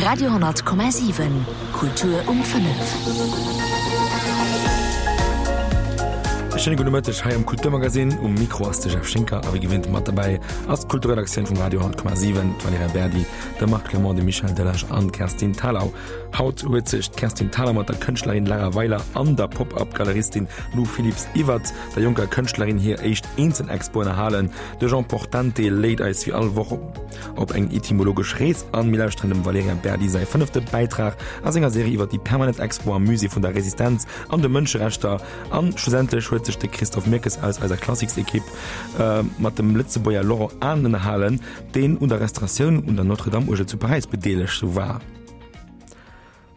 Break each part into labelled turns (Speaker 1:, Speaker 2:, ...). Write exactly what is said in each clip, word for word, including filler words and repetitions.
Speaker 1: Radio honnert Komma siwen, Kultur um fënnef.
Speaker 2: E schéine gudde Mëtteg hei am Kulturmagazin. Um Mikro ass de Jeff Schinker a wéi gewinnt mat derbäi ass d'Kulturredaktioun vum Radio honnert Komma siwen, d'Valerija Berdi, de Marc Clement, de Michel Delage an d'Kerstin Thalau. Haut huet sech d'Kerstin Thalau mat der Kënschtlerin Lara Weiler an der Pop-Up-Galeristin Lou Philipps iwwert der jonker Kënschtlerin hir éischt Eenzelexpo ënnerhalen. De Jean Portante léit eis wéi all Woch op eng etymologesch Rees an. Mir lauschteren dem Valerija Berdi säi fënnefte Bäitrag a senger Serie iwwer déi permanent Expo am Musée vun der Resistenz an de Mënscherechter. An schlussendlech huet sech de Christophe Mirkes aus eiser Classicsekipp mat dem Lëtzebuerger Laurent Anen ënnerhalen, deen un der Restauratioun un der Notre-Dame-Uergel zu Paräis bedeelegt war.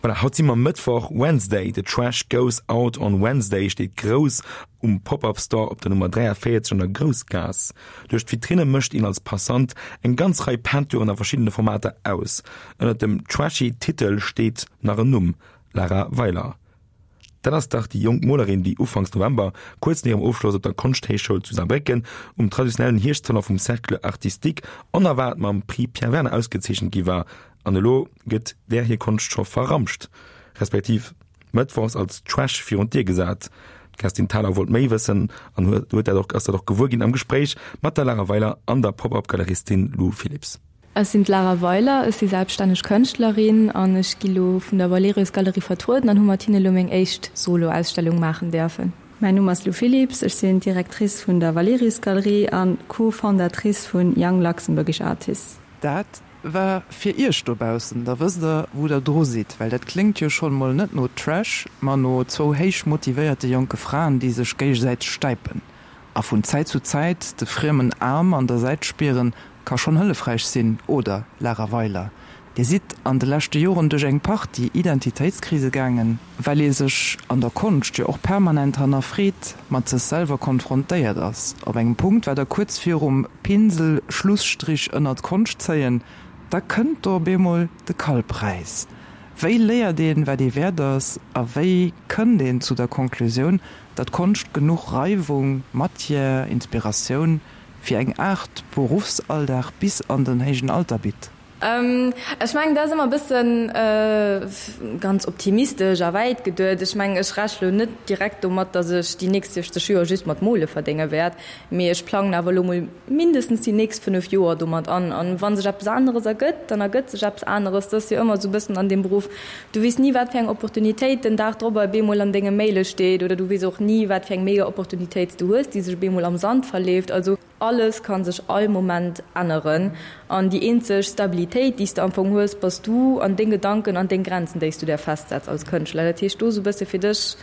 Speaker 2: Voilà, haut si mer Mëttwoch, Wednesday, the trash goes out on Wednesday steet grouss um Pop-Up Store op der Nummer dräiavéierzeg an der Groussgaass. Duerch d'Vitrinne mécht een als Passant eng ganz Rei Peinturen a verschiddene Formater aus. Ënnert dem trashy Titel steet nach en Numm, Lara Weiler. Dat ass dach déi jonk Molerin, déi ufanks November, kuerz no hirem Ofschloss op der Konschthéichschoul zu Saarbrécken, um traditionellen Hierschtsalon vum Cercle Artistique onerwaart mam Prix Pierre Werner ausgezeechent gi war. An elo gëtt där hir Konscht scho verramscht, respektiv mëttwochs als Trash virun d'Dier gesat. D'Kerstin Thalau wollt méi wëssen an huet dat och, ass dat och gewuer ginn am Gespréich mat der Lara Weiler an der Pop-Up-Galeristin Lou Philipps.
Speaker 3: Ech sinn d'Lara Weiler, ech si selbststänneg Kënschtlerin an ech gi lo vun der Valerius Galerie vertrueden an hu mat hinne lo meng éischt Solo-Ausstellung maachen däerfen.
Speaker 4: Mäin Numm ass Lou Philipps, ech sinn d'Directrice vun der Valerius Galerie an Co-Fondatrice vun Young Luxembourgish Artists.
Speaker 5: Dat war fir iech dobaussen, da wësst der wou der dru sidd, well dat kléngt jo schonn mol net no Trash, ma no zwou héich motivéierte jonke Fraen, déi sech géigesäiteg stäipen. A vun Zäit zu Zäit de friemen Aarm an der Säit spieren, ka schonn hëllefräich sinn, oder, Lara Weiler? Dir sidd an de leschte Joren duerch eng Partie Identitéitskrise gaangen, well ee sech an der Konscht jo och permanent hannerfreet, mat sech selwer konfrontéiert ass. Op engem Punkt war Der kuerz virum Pinsel Schlusstrich ënnert d'Konscht zéien, da kënnt do op eemol de Karlpreis. Wéi léiert een, wat ee wäert ass, a wéi kënnt een zu der Konklusioun, datt Konscht genuch Reiwung, Matière, Inspiratioun fir eng Aart Beruffsalldag bis an den héijen Alter bitt?
Speaker 3: Ech mengen, dat ass ëmmer e bëssen ganz optimistesch a wäit geduet. Ech mengen, ech rechne lo net direkt domat, datt ech déi nächst siechzeg Joer just mat Mole verdénge wäert, mee ech plangen awer elo mol mindestens déi nächst fënnef Joer domat an. An wa sech eppes aneres ergëtt, dann ergëtt sech eppes aneres. Dat ass jo ëmmer esou e bëssen an deem Beruff, du weess ni, wat fir eng Opportunitéit den Dag drop op eemol an denge Maile steet oder du weess och ni, wat fir eng mega Opportunitéit s du hues, déi sech op eemol am Sand verleeft. Also alles ka sech all Moment änneren an déi eenzeg Stabilitéit, déi s de am Fong hues, bass du an deng Gedanken an deng Grenzen, déi s du där festsetz als Kënschtler. Dat heescht, do esou e bësse fir dech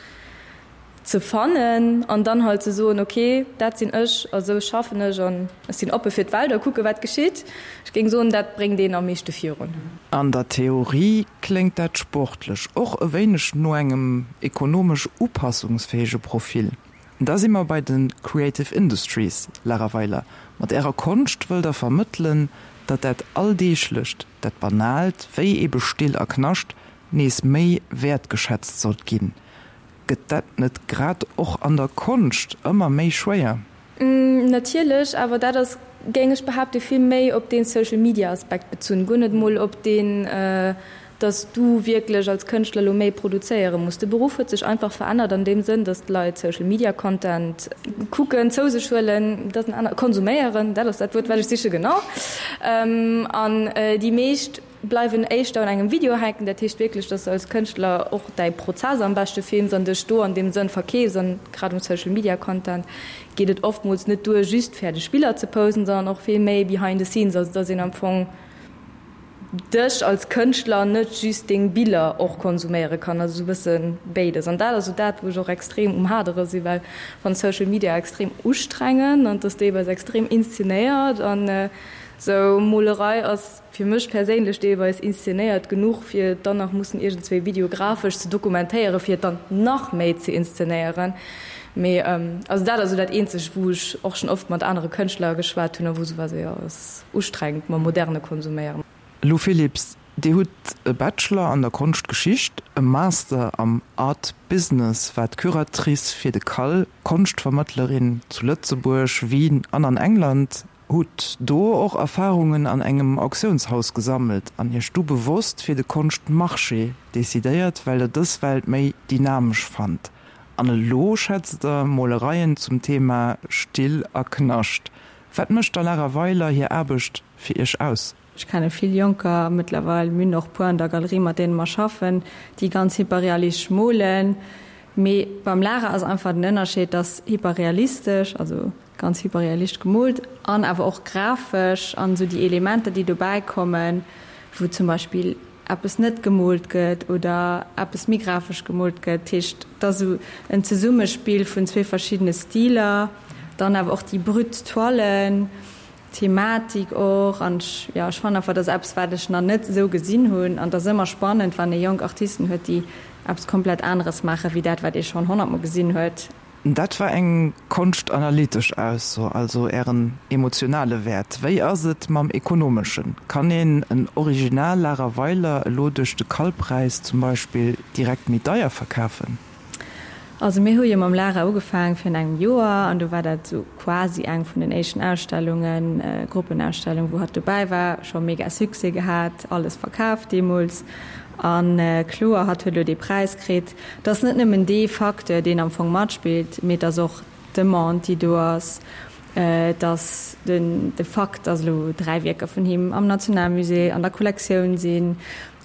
Speaker 3: ze fannen an dann halt ze soen, ok, dat sinn ech a sou schaffen ech an ech sinn oppe fir d'Welt a kucke wat geschitt. Ech géing soen, dat bréngt een am meeschte virun.
Speaker 5: An der Theorie kléngt dat sportlech, och e wéineg no engem ekonomesch upassungsfäege Profil. Da si mer bei de Creative Industries, Lara Weiler. Mat Ärer Konscht wëllt Der vermëttelen, datt dat Alldeeglecht, dat Banaalt, wéi ebe Still a Knascht, nees méi wäertgeschätzt sollt ginn. Gëtt dat net grad och an der Konscht ëmmer méi schwéier?
Speaker 3: Natierlech, awer dat ass, géing ech behaapten, vill méi op dee Social-Media-Aspekt bezunn, guer net mol op deen, dass du wierklech als Kënschtler elo méi produzéiere muss. De Beruff huet sech einfach verännert an deem Sënn, dass d'Leit Social Media Content kucken, zou sech huelen, dat ass en aner, konsuméieren, dat ass dat Wuert wat ech siche, genau. An déi meescht bleiwen éischter un engem Video hänken, dat heescht wierklech, dass du als Kënschtler och däi Prozess am beschte films an dech do an deem Sënn verkeefs. An grad um Social Media Content geet et oftmools net duer just fäerdeg Biller ze posten, sondern och vill méi behind the scenes, also dass een am Fong dech als Kënschtler net just deng Biller och konsuméiere kann, also esou e bësse béides. An dat ass esou dat, wou ech och extrem um Hadere sinn, well ech fannen Social Media extrem ustrengend an et ass deelweis extrem inszenéiert an esou Molerei ass fir mech perséinlech deelweis inszenéiert genuch, fir et dann nach mussen iergendzwéi videografesch ze dokumentéieren, fir et dann nach méi ze inszenéieren. Mee also dat ass esou dat eenzegt, wou ech och schonn oft mat anere Kënschtler geschwat hunn a wou se war esou, jo, ass ustrengend mam moderne Konsuméieren.
Speaker 5: Lou Philipps, Dir hutt e Bachelor an der Konschtgeschicht, e Master am Art Business, waart Curatrice fir de CAL, Konschtvermëttlerin zu Lëtzebuerg, Wien an an England. Hutt do och Erfarungen an engem Auktiounshaus gesammelt an Iech du bewosst fir de Konschtmarché decidéiert, well Der dës Welt méi dynamesch fannt. An elo schätzt Der Molereien zum Thema Still a Knascht. Wat mécht der Lara Weiler hir Aarbecht fir Iech aus?
Speaker 4: Ech kenne vill Jonker mëttlerweil, mir hunn och puer an der Galerie, mat deene mer schaffen, déi ganz hyperrealistesch molen. Mee beim Lara ass einfach den Ënnerscheed, dass hyperrealistesch, also ganz hyperrealistesch gemoolt an awer och grafesch an esou déi Elementer, déi dobäi kommen, wou zum Beispill eppes net gemoolt gëtt oder eppes méi grafesch gemoolt gëtt. Dat heescht, et ass esou en Zesummespill vun zwee verschiddene Stiler, dann awer och déi brut Toilen, d'Thematik och. An ech, jo, ech fannen einfach, dat ass eppes, wat ech nach net esou gesinn hunn. An et ass ëmmer spannend, wann ee jonk Artisten huet, déi eppes komplett aneres maachen, wéi dat, wat ee schonn honnertmol gesinn huet.
Speaker 5: Dat war eng konschtanalytesch Ausso, also Ären emotionale Wäert. Wéi ass et mam ekonomeschen? Kann een en Original Lara Weiler elo duerch de Kalpräis zum Beispill direkt méi deier verkafen?
Speaker 4: Also mir hu jo mam Lara ugefaangen virun engem Joer an do war dat esou quasi eng vun den éischten Ausstellungen, Gruppenausstellung, wou hatt dobäi war. Scho mega Succès gehat, alles verkaaft deemools. A kloer, hatt huet elo dee Präis kritt. Et ass net nëmmen dee Facteur, deen am Fong matspillt, mee et ass och d'Demande, déi do ass. Et ass den de Fakt, datt elo dräi Wierker vun him am Nationalmusée an der Kollektioun sinn.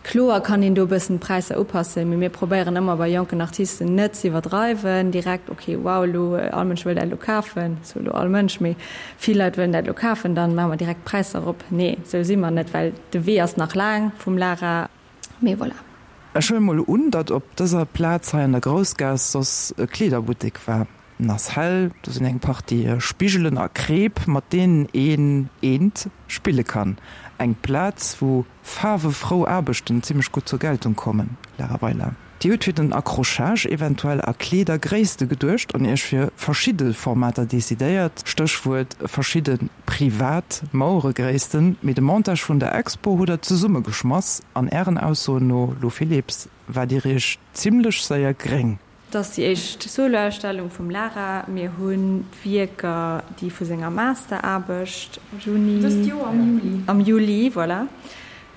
Speaker 4: Kloer kann een do e bëssen d'Präisser upassen, mee mir probéieren ëmmer bei jonken Artisten net ze iwwerdreiwen, direkt, ok, wow, elo all Mënsch wëll dat elo kafen, sou elo all Mënsch, mee vill Leit wëllen dat elo kafen, dann maache mer direkt d'Präisser erop. Nee, sou si mer net, well de Wee ass nach laang vum Lara. Mee voilà.
Speaker 5: Ech huelen mol un, datt op dëser Plaz hei an der Groussgaass soss e Kleederbuttek war. En ass hell, do sinn eng Partie Spigelen a Kreep, mat deenen een eent spille kann. Eng Plaz, wou faarwefrou Aarbechten zimmlech gutt zur Geltung kommen. Lara Weiler, Dir hutt fir den Accrochage eventuell a Kleedergréisste geduecht an Iech fir verschidde Formater decidéiert, Stéchwuert verschidde privat Maueregréissten. Mee de Montage vun der Expo hutt der zesummegeschmass an Ären Aussoen no, Lou Philipps, waart Dir Iech zimmlech séier gréng.
Speaker 4: Et ass déi éischt Soloausstellung vum Lara. Mir hunn d'Wierker, déi vu senger Masteraarbecht, Juni,
Speaker 3: Dëst Joer am Juli.
Speaker 4: Am Juli, voilà.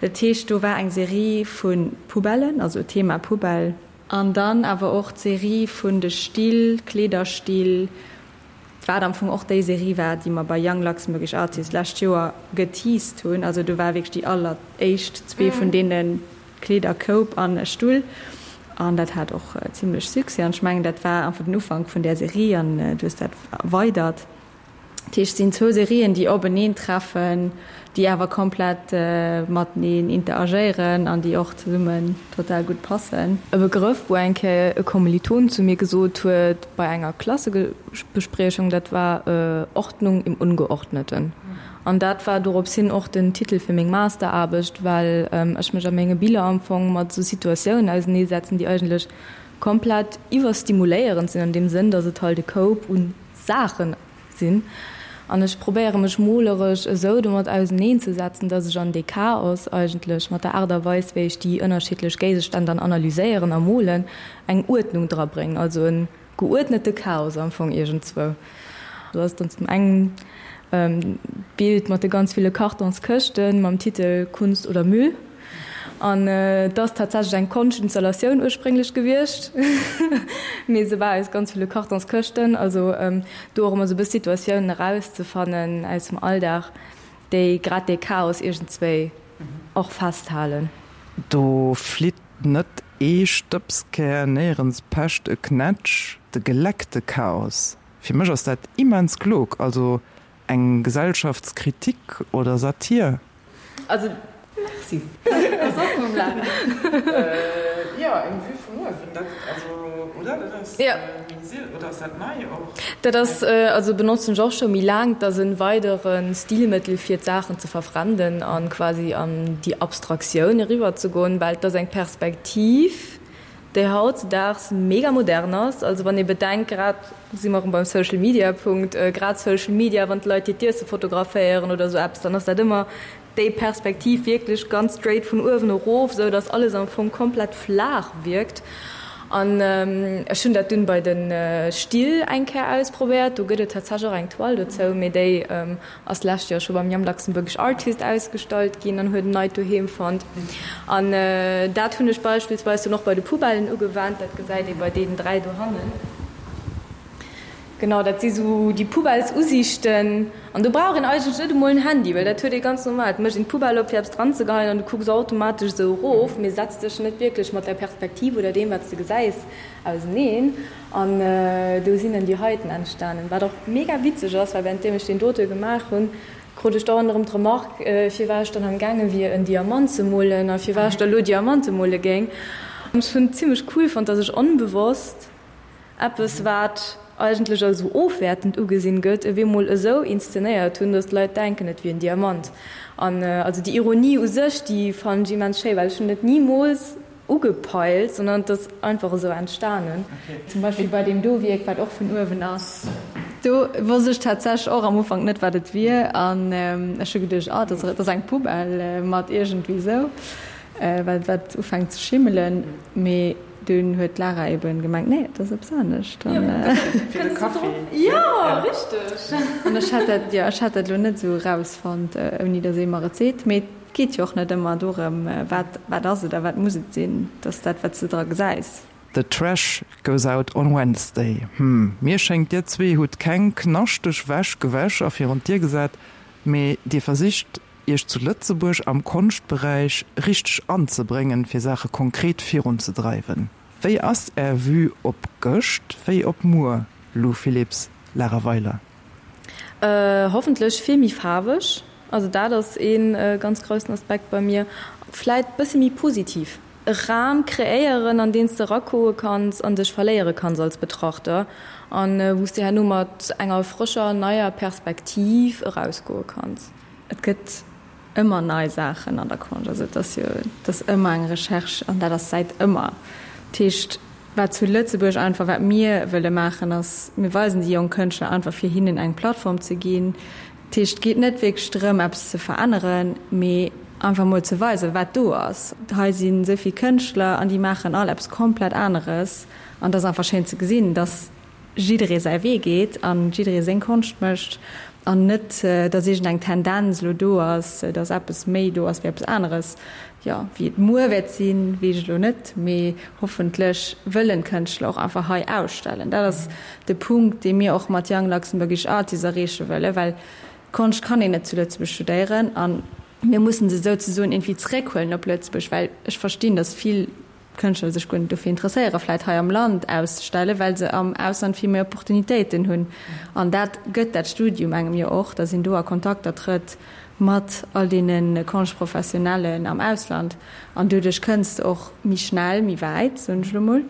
Speaker 4: Dat heescht, do war eng Serie vu Poubellen, also Thema Poubelle. An dann awer och d'Serie vun de Still, Kleederstill, wat am Fong och déi Serie war, déi mer bei Young Luxembourgish Artists d'lescht Joer geteased hunn. Also do war wierklech déi alleréischt zwee vun deene Kleeder, Koup an e Stull. An dat hat och zimlech Succès. An ech mengen, dat war einfach den Ufank vun där Serie an du hues dat erweidert. Dat heescht, et sinn zwou Serien, déi openeen treffen, déi awer komplett mateneen interagéieren an déi och zesummen total gutt passen.
Speaker 3: E Begrëff, wou eng Kéier e Kommiliton zu mir gesot huet bei enger Klassebespriechung, dat war Ordnung im Ungeordneten. An dat war dorops hin och den Titel fir meng Masteraarbecht, well ech mech a menge Biller am Fong mat esou Situatiounen auseneesetzen, déi eigentlech komplett iwwerstimuléierend sinn an deem Sënn, datt et halt e Koup u Saachen sinn. An ech probéiere mech moleresch esou domat auseneenzesetzen, datt ech an dee Chaos eigentlech mat der Aart a Weis, wéi ech déi ënnerschiddlech Géigestänn dann analyséieren a molen, eng Uerdnung drabréngen. Also e geuerdnete Chaos am Fong iergendzwou. Do ass dann zum engen d'Bild mat de ganz ville Kartonskëschten mam Titel Kunst oder Müll. An et ass tatsächlech eng Konschtinstallatioun ursprénglech gewiescht, mee se war aus ganz ville Kartonskëschten. Also do och ëmmer esou e bëss Situatiounen erauszefannen aus dem Alldag, déi grad dee Chaos iergendzwéi och festhalen.
Speaker 5: Do flitt net ee Stëbskär, néierens pecht e Knätsch, de geleckte Chaos. Fir mech ass dat immens klog, also eng Gesellschaftskritik oder Satir.
Speaker 3: Also merci. Ass och vum Lara.
Speaker 5: Jo, eng Vue vun uewen, dat, also, oder? Dat ass méi siel, oder ass dat nei och?
Speaker 3: Dat ass, also benotzen ech och scho méi laang. Dat ass e weidere Stilmëttel fir d'Saachen ze verfremden an quasi an déi Abstraktioun eriwwer ze goen, well et ass eng Perspektiv, déi hautzedaags mega modern ass. Also wann ee bedenkt, grad si mer erëm beim Social Media Punkt, grad Social Media, wann d'Leit hiert Iesse fotograféieren oder esou eppes, dann ass dat ëmmer déi Perspektiv wierklech ganz straight vun uewen erof, esou datt alles am Fong komplett flaach wierkt. An ech hunn dat dunn bei de Still eng Kéier ausprobéiert. Do gëtt et tatsächlech och eng Toile dozou, mee déi ass d'lescht Joer scho beim Young Luxembourgish Artist ausgestallt ginn an huet en neit Doheem fonnt. An dat hunn ech beispillsweis dunn och bei de Poubellen ugewennt. Dat gesäit ee bei deenen dräi dohannen. Genau, dat si sou déi Poubellesusiichten. An do brauch een eigentlech net emol en Handy, well dat huet ee ganz normal. Et mécht een d'Poubelle op, fir eppes dranzegeheien, an du kucks automatesch esou erof, mee setz dech net wierklech mat der Perspektiv oder deem, wat s de gesäis, auseneen. An do sinn dann déi heiten entstanen. Wat och mega witzeg ass, well wärenddeem ech deen dote gemaach hunn, krut ech dauernd erëm d'Remark, firwat ech dann am gaange wier, en Diamant ze molen a firwat ech da lo Diamante mole géing. Ech hunn et zimmlech cool fonnt, dass ech onbewosst eppes, wat eigentlech als esou ofwäertend ugesinn gëtt, ewéi mol esou inszenéiert hunn, datt d'Leit denken, et wier en Diamant. An also déi Ironie u sech, déi fannen ech immens schéi, well ech hunn et nimools ugepeilt, sondern et ass einfach esou entstanen.
Speaker 4: Zum Beispill bei deem do Wierk, wat och vun uewen ass, do wosst ech tatsächlech och am Ufank net, wat et wier, an ech hu geduecht, ah, dat ass eng Poubelle mat iergendwéi esou, well wat ufänkt ze schimmelen, mee Dunn huet d'Lara eben gemengt, nee, et ass eppes anescht.
Speaker 5: Fir de Kaffi.
Speaker 3: Jo, richteg.
Speaker 4: An ech hätt dat, jo, ech hätt dat elo net esou erausfonnt, ouni datt ee mer et seet. Mee et geet jo och net ëmmer dorëm, wat, wat ass et a wat muss et sinn. Et ass dat, wat s de dra gesäis.
Speaker 5: The trash goes out on Wednesday. Hm, mir schéngt dir zwee hutt keng knaschteg Wäsch gewäsch a virun d'Dier gesat, mee dir versicht Iech zu Lëtzebuerg am Konschtberäich richteg anzebréngen, fir Saache konkret virunzedreiwen. Wéi ass Är Vue op gëscht wéi op muer, Lou Philipps, Lara Weiler?
Speaker 3: Hoffentlech vill méi faarweg. Also dat ass ee ganz groussen Aspekt bei mir. Vläit bësse méi positiv. E Ram kreéieren, an deen s de erakoe kanns an dech verléiere kanns als Betrachter an wou s de herno mat enger frëscher, neier Perspektiv erausgoe kanns.
Speaker 4: Et gëtt ëmmer nei Saachen an der Konscht. Also et ass jo, et ass ëmmer eng Recherche an dat ass säit ëmmer. Dat heescht, wat zu Lëtzebuerg einfach, wat mir wëlle maachen, ass, mir weisen déi jonk Kënschtler einfach, fir hinnen eng Plattform ze ginn. Dat heescht, et geet net wierklech drëm, eppes ze veränneren, mee einfach mol ze weisen, wat do ass. Hei sinn esou vill Kënschtler an déi maachen all eppes komplett aneres an et ass einfach schéin ze gesinn, dass jidderee säi Wee geet an jidderee seng Konscht mécht an net, dass iergendeng Tendenz elo do ass, dass eppes méi do ass wéi eppes aneres. Jo, wéi et muer wäert sinn, weess ech elo net, mee hoffentlech wëllen d'Kënschtler och einfach hei ausstellen. Dat ass de Punkt, dee mir och mat Young Luxembourgish Artists erreeche wëllen, well Konscht kann een net zu Lëtzebuerg studéieren a mir mussen se souzesoen iergendwéi zeréckhuelen op Lëtzebuerg, well ech verstinn, dass vill Kënschtler sech guer net dofir interesséieren, vläit hei am Land auszestellen, well se am Ausland vill méi Opportunitéiten hunn. An dat gëtt dat Studium engem jo och, datt een do a Kontakter trëtt mat all deene Konschtprofessionellen am Ausland. An doduerch kënns de och méi schnell méi wäit, soen ech elo mol.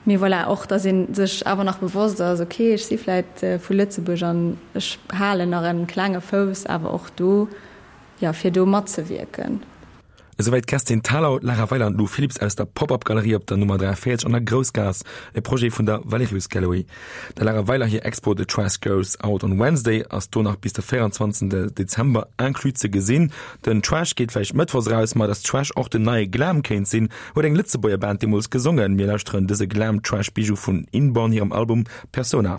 Speaker 4: Mee voilà, och datt ee sech awer nach bewosst ass, okay, ech si vläit vu Lëtzebuerg an ech halen nach e klenge Fouss awer och do, jo, fir do matzewierken.
Speaker 2: Esouwäit d'Kerstin Thalau, d'Lara Weiler an d'Lou Philipps aus der Pop-Up Galerie op der Nummer dräianvéierzeg an der Groussgaass, e Projet vun der Valerius Gallery. Der Lara Weiler hir Expo The Trash Goes Out on Wednesday ass do nach bis de véierundzwanzegsten Dezember inclus ze gesinn. Den Trash geet vläicht mëttwochs eraus, ma dass Trash och den neie Glam kéint sinn, huet eng Lëtzebuerger Band deemools gesongen. Mir lauschteren dëse Glam-Trash-Bijou vun Inborn hirem Album Persona.